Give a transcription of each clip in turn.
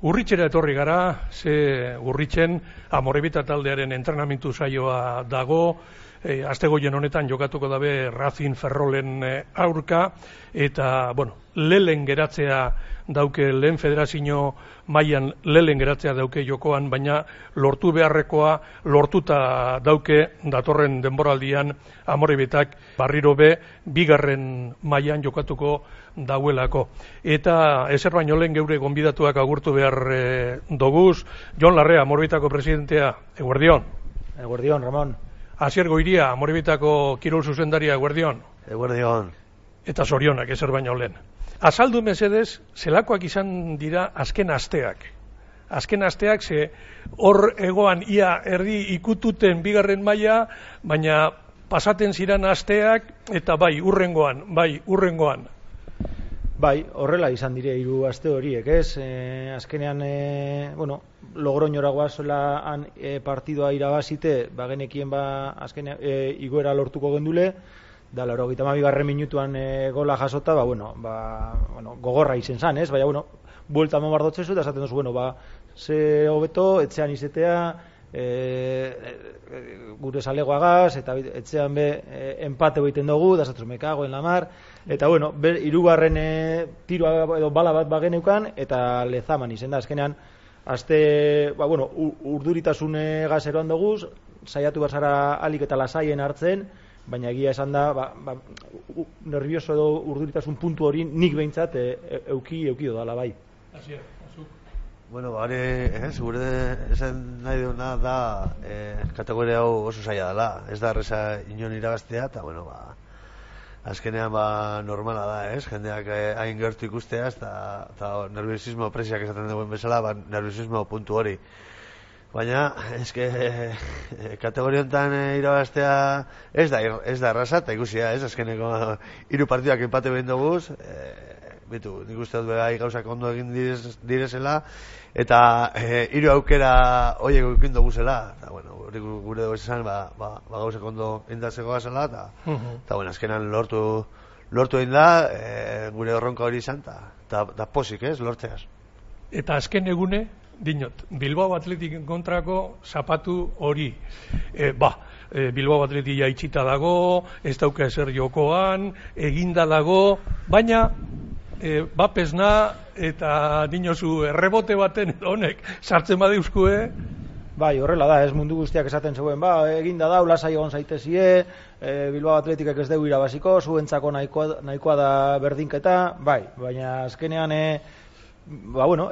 Urritxera etorri gara, ze Urritzen Amorebita taldearen entrenamentu saioa dago, astegoien honetan jokatuko dabe Racing Ferrolen aurka, eta, lehen geratzea dauke, lehen federazio mailan lehen geratzea dauke jokoan, baina lortu beharrekoa lortuta dauke datorren denboraldian Amorebitak barriro be bigarren mailan jokatuko dauelako. Eta ezer baino lehen geure gonbidatuak agurtu behar doguz. Jon Larrea, Amorebitako presidentea, eguerdion. Eguerdion, Ramon. Asier Goiria, Amorebitako kirol zuzendaria, eguerdion. Eguerdion. Eta zorionak ezer baino lehen. Azaldu mesedez, zelakoak izan dira azken asteak. Azken asteak, ze hor egoan ia erdi ikututen bigarren maila, baina pasaten ziren asteak, eta bai, urrengoan. Bai, horrela izan dire 3 aste horiek, ez? Azkenean, Logroñora goazola han partidua irabazite, genekien azkenean igoera lortuko gendule, da 82. minutuan gola jasota, gogorra izen zan, ez? Baina, buelta mamardotzezu, eta esaten duzu, ze hobeto, etxean izetea, gure zalegoagaz, eta etxean empate egiten dugu, da esatzen me cago en la mar, eta hirugarren tiroa edo bala bat bageneukan, eta Lezaman izen da, azkenean, urduritasun gazeroan dugu, saiatu bazara alik eta lasaien hartzen, baina egia esan da, nervioso edo urduritasun puntu hori nik behintzat euki dala bai. Gure esan nahi duna da kategoria hau oso zaila dela, ez da erreza inon irabaztea, eta azkenean normala da, ez? Jendeak hain gertu ikustea, eta nerviosismo presiak esaten duen bezala, nerviosismo puntu hori. Baina, kategoria honetan irabaztea ez da erraza, eta ikusia, ez? Azkeneko 3 partiduak empate behin duguz, nik uste dut begai gauzak ondo egin direzela, eta 3 aukera horiek eukin duguzela, eta gure dugu esan, gauzak ondo indazeko gazela, eta azkenan lortu egin da, gure horronka hori izan, eta posik, ez, lortzeaz. Eta azken egune, dinot, Bilbao Athletic kontrako zapatu hori. Bilbao Athletic itxita dago, ez dauka ezer jokoan, eginda dago, baina bapesna eta dinozu errebote baten honek sartzen badeuzkue. Bai, horrela da, ez mundu guztiak esaten zegoen, eginda da, lasai egon zaitezie, Bilbao Athleticek ez dugu irabaziko, zuentzako nahikoa da berdinketa, baina azkenean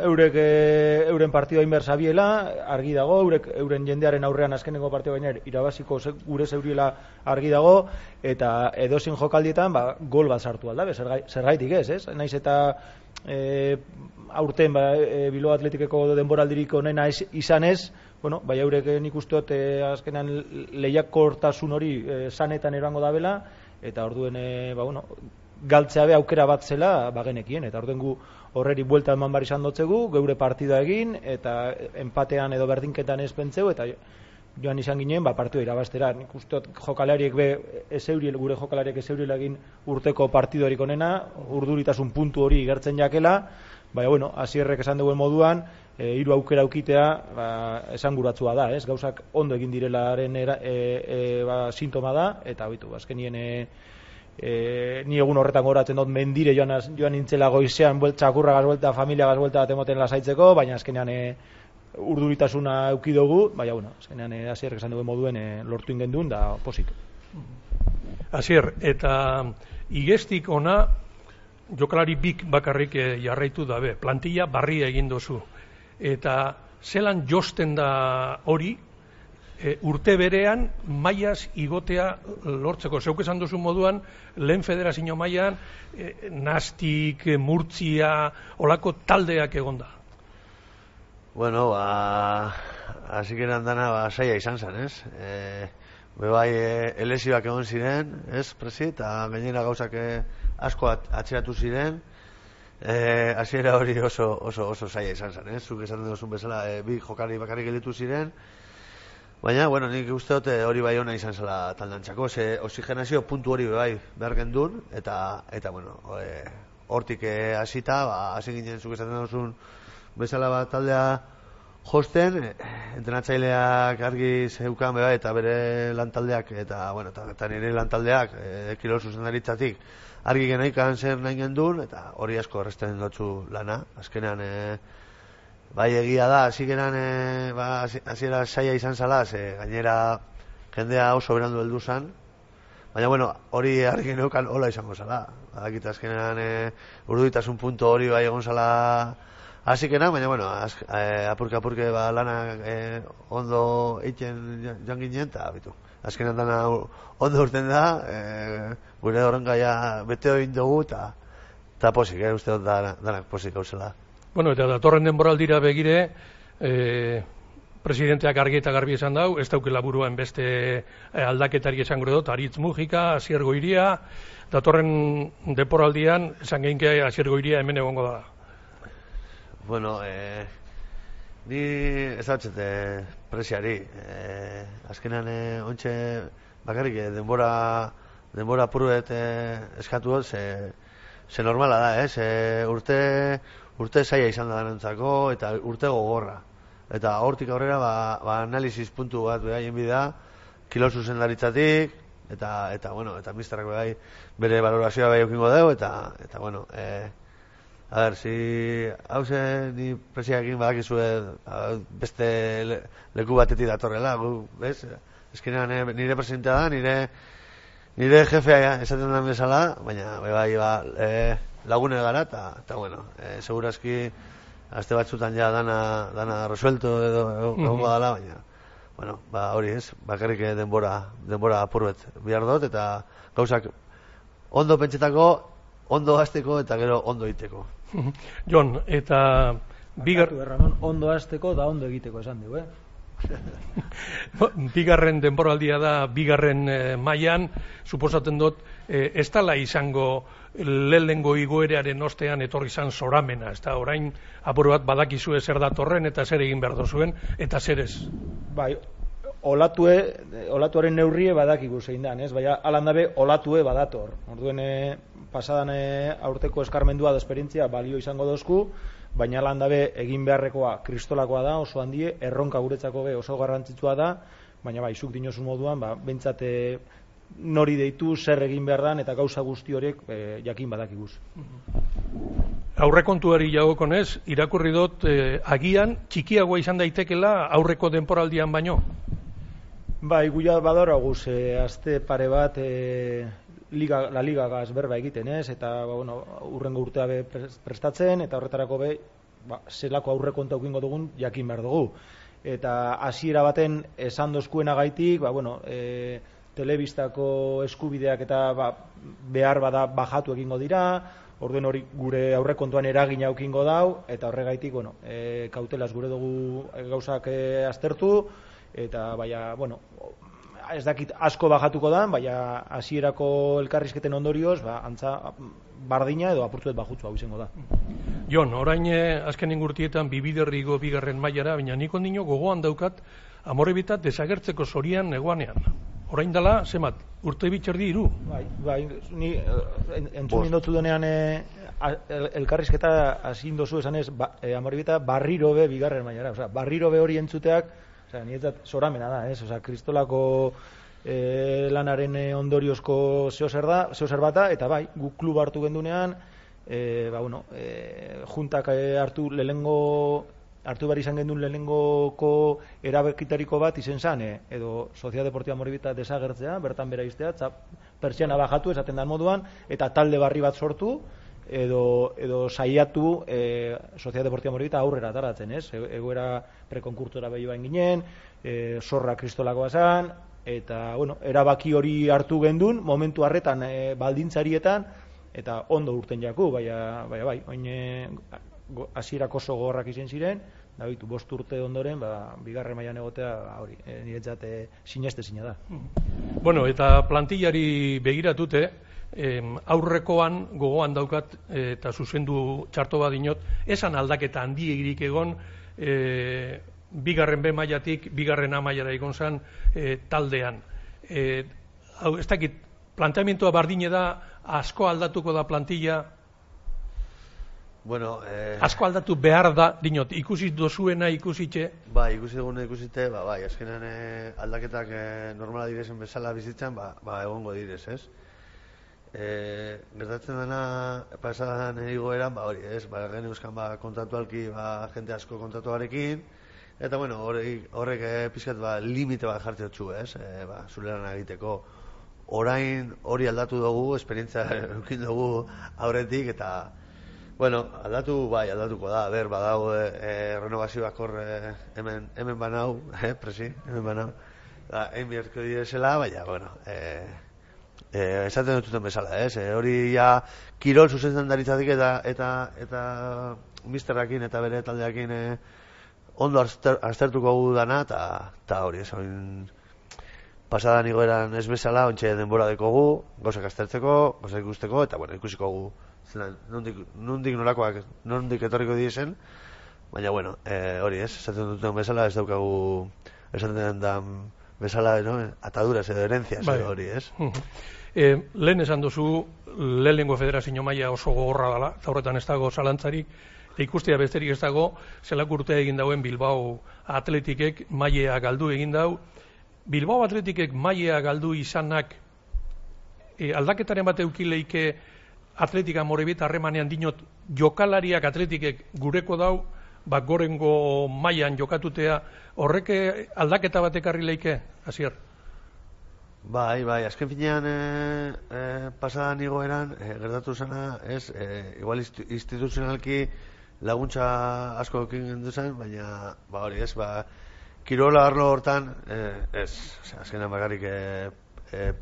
euren partidua inbersabiela, argi dago, euren jendearen aurrean azkeneko partidua baina irabaziko gure zeuriela argi dago, eta edozin jokaldietan gol bat sartu aldabe, zergaitik ez? Naiz eta aurten Bilbao Athleticeko denboraldirik onena izan ez, eurek nik usteot azkenean lehiakortasun hori sanetan erango dabela, eta orduen galtzea be aukera bat zela bagenekien, eta orduen gu horreri buelta eman bar izan dotzegu, geure partida egin, eta empatean edo berdinketan ez pentseu, eta joan izan ginen, partidua irabaztera. Nik usteot jokalariek gure jokalariek ezeuriela egin urteko partidorik onena, urduritasun puntu hori gertzen jakela, baina, Asierrek esan duen moduan, 3 aukera aukitea esanguratsua da, ez? Gauzak ondo egin direlaren sintoma da, eta azkenien ni egun horretan goratzen dut mendire joan nintzela goizean txakurragaz buelta, familiagaz buelta bat emoten lasaitzeko, baina azkenean urduritasuna euki dugu, baina azkenean Asierrek esan duen moduen lortu ingendun da posik. Asier, eta igestik ona jokalari bik bakarrik jarraitu dabe, plantilla barria egin dozu, eta zelan josten da hori, urte berean mailaz igotea lortzeko. Zeuk esan duzu moduan, lehen federazio mailan Nastik, Murtzia, olako taldeak egonda. Hasikeran dana saia izan zen, ez? Elesioak egon ziren, ez, presi, eta gainera gauzak asko atzeratu ziren, hasiera hori oso saia izan zen, ez? Zuk esan duzun bezala, 2 jokalari bakarrik gelditu ziren, baina, nik uste dut hori bai ona izan zela taldantzako, ze oxigenazio puntu hori bai behar gendun, eta hortik hasita, hasi ginen zuk esaten duzun bezala bat taldea josten, entrenatzaileak argi zeukan beba, eta bere lantaldeak, eta, bueno, eta nire lantaldeak, kirol zuzendaritzatik, argi genaikan zer nahi gendun, eta hori asko erresten dutzu lana. Azkenean, bai egia da, hasiera saia izan zala, gainera jendea oso berandu heldu zan, baina, bueno, hori argi neukan hola izango zala. Badakit azkenean urduritasun puntu hori bai egon zala hasikena, baina, bueno, apurke lana ondo egiten joan ginen, eta bitu. Azkenean dana ondo urten da, gure horren gaia bete egin dugu, eta posik, uste dut danak posik gauzela. Bueno, eta datorren denboraldira begire, presidenteak argi eta garbi esan dau, ez daukela buruan beste aldaketari esango dut, Aritz Mujika, Asier Goiria, datorren denboraldian esan geinke Asier Goiria hemen egongo da. Bueno, ni ez dautxete presiari. Azkenean ontxe bakarrik denbora puruet eskatu dut, ze normala da, urte zaila izan da denentzako, eta urte gogorra. Eta hortik aurrera, analisis puntu bat behaien bida, kilo zuzendaritzatik, eta misterrak bere valorazioa bai eukingo dugu, eta bueno, a ber, hau ni presiakin badakizue beste leku batetik datorrela, bez? Eskenean nire presidentea da, nire jefea esaten den bezala, baina lagune gara, eta bueno, segurazki aste batzutan ja dana resuelto edo egongo dala, baina, bueno, hori ez, bakarrik denbora apurbet bihar dut, eta gauzak ondo pentsetako, ondo hasteko eta gero ondo egiteko. Jon, eta Ramon, ondo hasteko da ondo egiteko esan dugu, bigarren denboraldia da, bigarren mailan, suposatzen dut, ez dala izango lehenengo igoeraren ostean etorri izan zoramena, ez da, orain apur bat badakizue zer datorren eta zer egin behar dozuen, eta zer ez? Bai, olatuaren neurrie badakigu zein dan, ez? Baina alandabe olatue badator. Orduen pasadan aurteko eskarmendua da esperientzia balio izango dozku, baina alandabe egin beharrekoa kristolakoa da, oso handie, erronka guretzako oso garrantzitsua da, baina bai, zuk dinozun moduan, bentsat nori deitu, zer egin behar dan, eta gauza guzti horiek jakin badakiguz. Aurrekontuari jagokonez, irakurri dut agian txikiagoa izan daitekela aurreko denporaldian baino? Bai, guia badora guz, azte pare bat la ligagaz berba egiten ez, eta urrengo urtea prestatzen, eta horretarako zelako aurrekontu aukingo dugun jakin behar dugu. Eta hasiera baten esan dozkuenagaitik, telebistako eskubideak eta behar bada bajatu egingo dira, orduen hori gure aurrekontuan eragina aukingo dau, eta horregaitik, kautelaz gure dugu gauzak aztertu, eta ez dakit asko bajatuko da, baina hasierako elkarrizketen ondorioz, antza bardina edo apurtuet bajutzu hau izango da. Jon, orain azken ingurtietan bibiderrigo bigarren mailara, baina nik ondino gogoan daukat Amorebieta desagertzeko zorian negoanean. Orain dela, zemat, urte bitxerdi iru? Bai, ni entzun indotzu denean elkarrizketa hazin dozu esanez, Amorebieta barriro be bigarren mailara, barriro be hori entzuteak, niretzat zoramena da, kristolako lanaren ondoriozko zeozer bata, eta bai, guk klub hartu gendunean, juntak hartu behar izan gendun lehenengoko erabekitariko bat izen zan, edo Sociedad Deportiva Amorebieta desagertzea, bertan bera iztea, pertsiana bajatu esaten dan moduan, eta talde barri bat sortu, edo saiatu Sociedad Deportiva Amorebieta aurrera ataratzen, egoera prekonkurtora behi bain ginen, zorra kristolakoa zan, eta erabaki hori hartu gendun, momentu harretan baldintzarietan, eta ondo urten jaku, bai, hasierako oso gogorrak izan ziren, da bitu, 5 urte ondoren, bigarren mailan egotea, hori, niretzat sinestezina da. Bueno, eta plantillari begiratute, aurrekoan gogoan daukat eta zuzendu txarto bat dinot, esan aldaketa handiegirik egon bigarren B mailatik bigarren A mailara egon zan taldean. Ez dakit, planteamientoa bardine da, asko aldatuko da plantilla? Bueno, asko aldatu behar da, dinot, ikusi dozuena ikusitxe? Bai, ikusi duguna ikusite, bai, azkenean aldaketak normala direzen bezala bizitzan, egongo direz, ez? Gertatzen dena, pasadan egoeran, hori, ez? Gen euskan, kontratualki, jente asko kontratuarekin, eta, bueno, horrek pizkat, limite bat jartzen dutxu, ez? Zuleran egiteko. Orain hori aldatu dugu, esperientzia eukin dugu aurretik, eta, bueno, aldatuko da, badago renovazioak hor hemen banau, presi, hemen banau, egin biharko direzela, baina, bueno, esaten dututen bezala, ez? Hori ja kirol zuzentzen daritzatik eta misterrakin eta bere taldeakin ondo aztertuko gu dana, eta hori, ez hori pasadan igoeran ez bezala, ontxe denbora dekogu, gauzak aztertzeko, gauzak ikusteko, eta, bueno, ikusiko gu, nondik nolakoak, nondik etorriko diesen, baina, bueno, hori ez, esaten duten bezala, ez daukagu, esaten den bezala, no? Ataduras edo herencias, hori ez. Lehen esan duzu, lehenengo federazio maila oso gogorra dela, eta horretan ez dago zalantzarik, eta ikustea besterik ez dago, zelako urtea egin dauen Bilbao Atletikek mailea galdu egin dau. Bilbao Atletikek mailea galdu izanak aldaketaren bat eukileike Atletika Amorebieta harremanean dinot jokalariak Atletikek gureko dau, gorengo mailan jokatutea, horrek aldaketa bat ekarri leike, Asier? Bai, azken finean pasadan igoeran gertatu zena, ez, igual instituzionalki laguntza asko ekin gendu zen, baina, hori ez, kirola arlo hortan, ez, azkenan bakarrik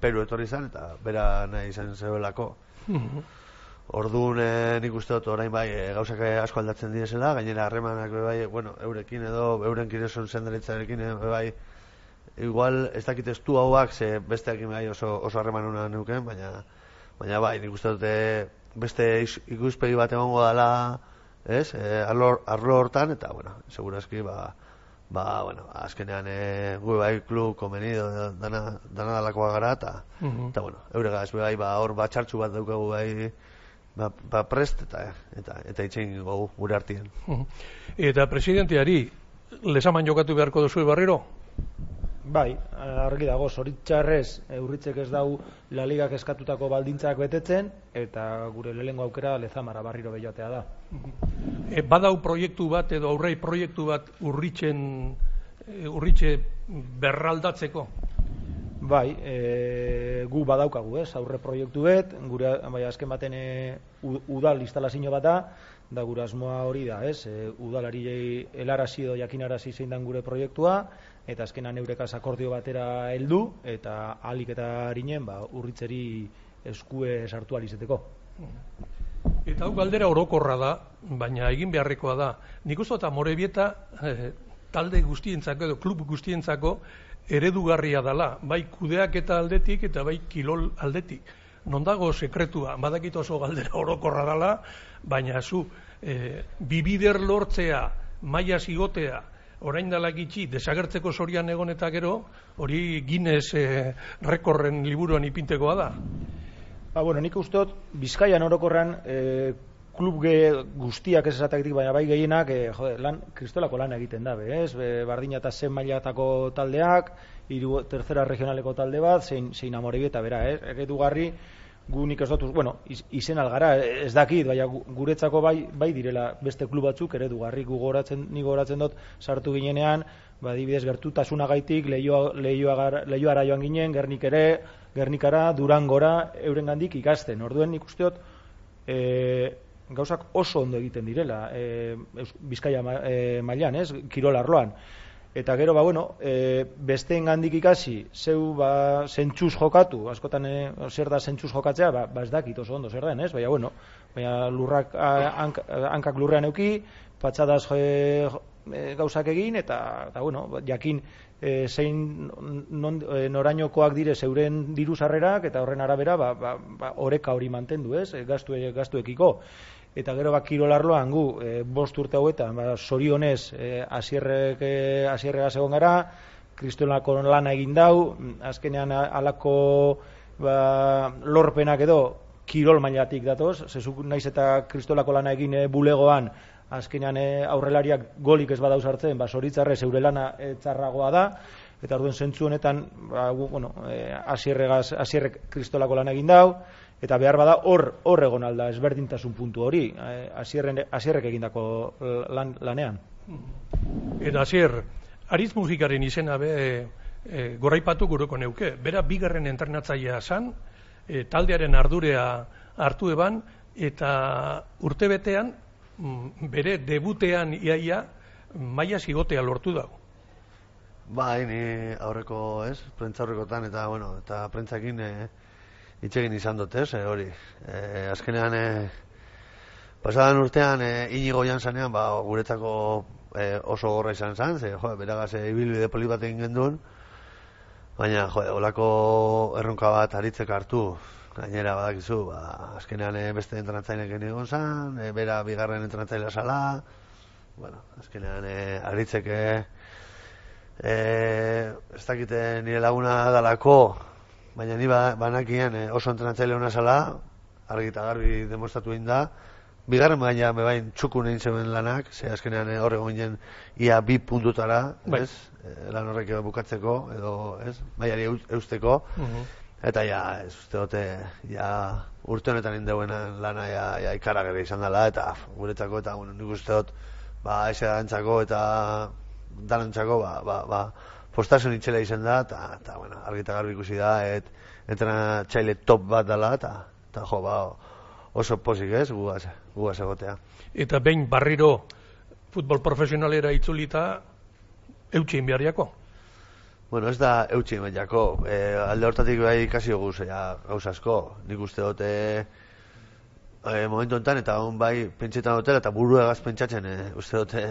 Peru etorri zen, eta bera nahi izan zebelako. Orduan nik uste dut orain gauzak asko aldatzen direzela, gainera harremanak bueno, eurekin edo eurenkin eson zendaritzarekin igual ez dakit estu hauak ze besteakin oso harreman hona neuken, baina nik uste dut beste ikuspegi bat egongo dela, ez, arlo hortan, eta, bueno, segurazki, bueno, azkenean gu klub konvenido dana dalakoa gara, eta, bueno, euregaz, hor txartxu bat daukagu prest, eta itxein gogu gure artien. Eta presidenteari, lesaman jokatu beharko duzu barriro? Bai, argi dago, zoritxarrez Urritzek ez dau La Ligak eskatutako baldintzak betetzen, eta gure lehengo aukera Lezamara barriro behiotea da. Badau proiektu bat edo aurrei proiektu bat Urritxe berraldatzeko? Bai, gu badaukagu, ez, aurre proiektu bet, gure azken baten udal instalazio bat da gure asmoa hori da, ez, udalari helarazi edo jakinarazi zein dan gure proiektua, eta azkenan eurekaz akordio batera heldu, eta ahalik eta harinen, Urritzeri eskue sartu alizeteko. Eta hau galdera orokorra da, baina egin beharrekoa da. Nik uste eta Amorebieta talde guztientzako edo klub guztientzako eredugarria dela, bai kudeaketa aldetik eta bai kilol aldetik. Non dago sekretua, badakit oso galdera orokorra dela, baina zu, bibider lortzea, maila zigotea, orain dalak itxi, desagertzeko zorian egon eta gero, hori Guinness rekorren liburuan ipintekoa da. Bueno, nik usteot, Bizkaian orokorran klub guztiak ez esataktik, baina bai gehienak kristolako lan egiten dabe, ez? Bardina eta zen mailatako taldeak, tercera regionaleko talde bat, zein Amorebieta bera, ez? Eredugarri, gu nik ez dut, bueno, izen algara, ez dakit, baina guretzako bai direla beste klub batzuk eredugarri, nik goratzen dut sartu ginenean, adibidez gertutasunagaitik Leioara joan ginen, Gernikara, Durangora, eurengandik ikasten. Orduen nik usteot gauzak oso ondo egiten direla Bizkaia mailan, ez, kirol arloan. Eta gero, bueno, besteengandik ikasi, zeu zentzuz jokatu, askotan zer da zentzuz jokatzea, ez dakit oso ondo zer den, ez? Baina lurrak, hankak lurrean euki, patxadaz gauzak egin, eta bueno, jakin zein norainokoak dire zeuren diru sarrerak, eta horren arabera, oreka hori mantendu, ez? Gastuekiko. Eta gero kirolarloan gu, 5 urte hauetan, zorionez asierregaz egon gara, kristolako lana egin dau, azkenean alako lorpenak edo kirol mailatik datoz, zezuk naiz eta kristolako lana egin bulegoan, azkenean aurrelariak golik ez badauz hartzen, zoritzarrez eure lana txarragoa da, eta orduen zentzu honetan, Asierrek kristolako lana egin dau, eta behar bada hor egon alda ezberdintasun puntu hori, Asierrek egindako lanean. Eta Asier, aritz musikaren izena goraipatu guroko neuke. Bera bigarren entrenatzailea zan, taldearen ardurea hartu eban, eta urtebetean, bere debutean iaia, maila zigotea lortu dago. Bai, ni aurreko, prentza aurrekotan, eta prentzakin itxegin izan dut, hori. Azkenean, pasadan urtean, Inigo Jansanean, guretzako oso gorra izan zen, beragaz ibilbide poli bat egin genduen, baina, olako erronka bat aritzek hartu, gainera badakizu, azkenean beste entrenatzaileak egon zen, bera bigarren entrenatzailea zala, azkenean aritzek ez dakite nire laguna dalako, baina ni banakien oso entrenatzaile hona zala, argi eta garbi demostratu egin da, bigarren baina bebain txukun egin zeuden lanak, ze azkenean horrego ginen ia 2 puntutara, lan horrek bukatzeko, edo, mailari eusteko, eta ez uste dute, urte honetan indeuen lana ikaragarri izan dela, eta guretzako, eta nik uste dut, eze dantzako eta danantzako, postasun itxela izan da, eta argi eta garbi ikusi da, entrenatzaile top bat dela, eta oso posik gugaz egotea. Eta behin barriro futbol profesionalera itzulita eutxin beharriako? Ez da eutxin beharriako. Alde hortatik bai ikasi guz gauza asko. Nik uste dute momentu enten eta bai pentsetan dutela eta buruegaz pentsatzen uste dute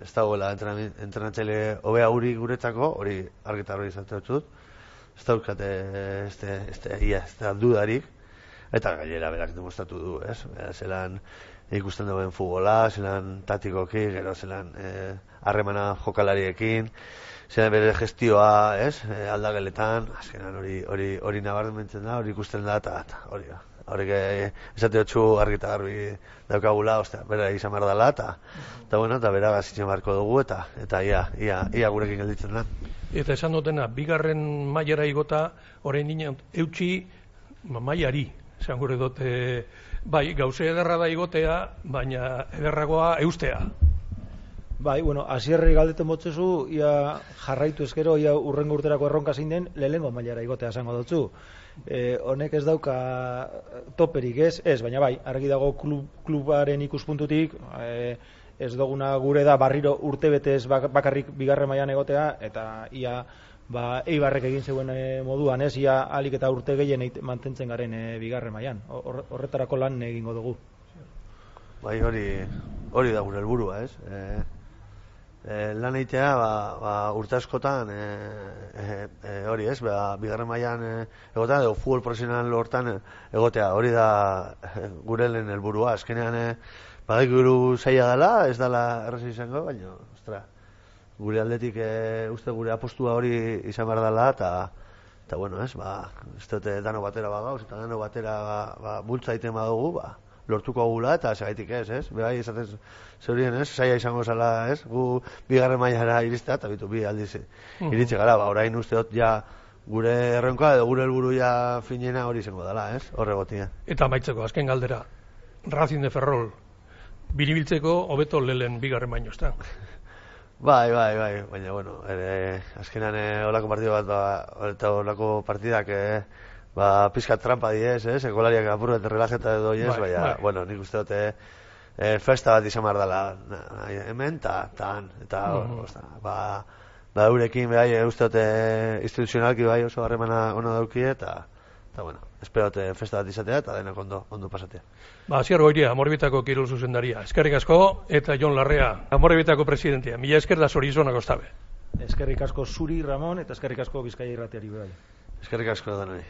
ez dagoela entrenatzaile hobea hori guretzako, hori argitar hori izatea dut. Ez daukate ez da dudarik. Eta gainera berak demostratu du, zelan ikusten duen futbola, zelan tatikoki, gero zelan harremana jokalariekin, zelan bere gestioa, aldageletan, azkenan hori nabarmentzen da, hori ikusten da, eta hori da. Horrek esate hotxu argi eta garbi daukagula, bera izan behar dela, eta bera gazitzen beharko dugu, eta ia gurekin gelditzen da. Eta esan dutena, bigarren mailara igota, orain dinen eutxi mailari. Esan gure dut, bai, gauze ederra da igotea, baina ederragoa eustea. Bai, Asierrei galdeten botzezu, ia jarraitu ezkero, ia urrengo urterako erronka zein den, lehengo mailara igotea esango dutzu. Honek ez dauka toperik ez, baina bai, argi dago klubaren ikuspuntutik, ez duguna gure da barriro urtebetez bakarrik bigarren mailan egotea, eta ia Eibarrek egin zeuen moduan, ia alik eta urte gehien mantentzen garen bigarren mailan. Horretarako lan egingo dugu. Bai, hori da gure helburua, lan egitea, urte askotan, hori bigarren mailan egotea, edo futbol profesional hortan egotea, hori da gure lehen helburua. Azkenean, badakigu zaila dela, ez dela erraza izango, baina, ostra, gure aldetik uste gure apostua hori izan behar dela, eta ez dute dano batera bagauz, eta dano batera bultza egiten badugu, lortuko gula, eta segaitik behai esaten zeurien zaila izango zela, gu bigarren mailara iristea, eta bitu bi aldiz iritsi gara, orain uste dut gure erronka edo gure helburu finena hori izango dela, horregotia. Eta amaitzeko, azken galdera, Racing de Ferrol, biribiltzeko hobeto lehen bigarren baino, ezta? Bai, baina, azkenan olako partidu bat, eta olako partidak, pizkat trampa diez, ekolariak apur bat relajeta edo baina, nik uste dute festa bat izan behar dela hemen, eta eurekin, uste dute instituzionalki oso harremana ono dauki, eta espero dute festa bat izatea, eta denak ondo pasatea. Asier Goiria, Amorebitako kirol zuzendaria. Eskerrik asko, eta Jon Larrea, Amorebitako presidentea. Mila esker da zorizonak ostabe. Eskerrik asko zuri, Ramon, eta eskerrik asko Bizkaia irratiari bai. Eskerrik asko danari.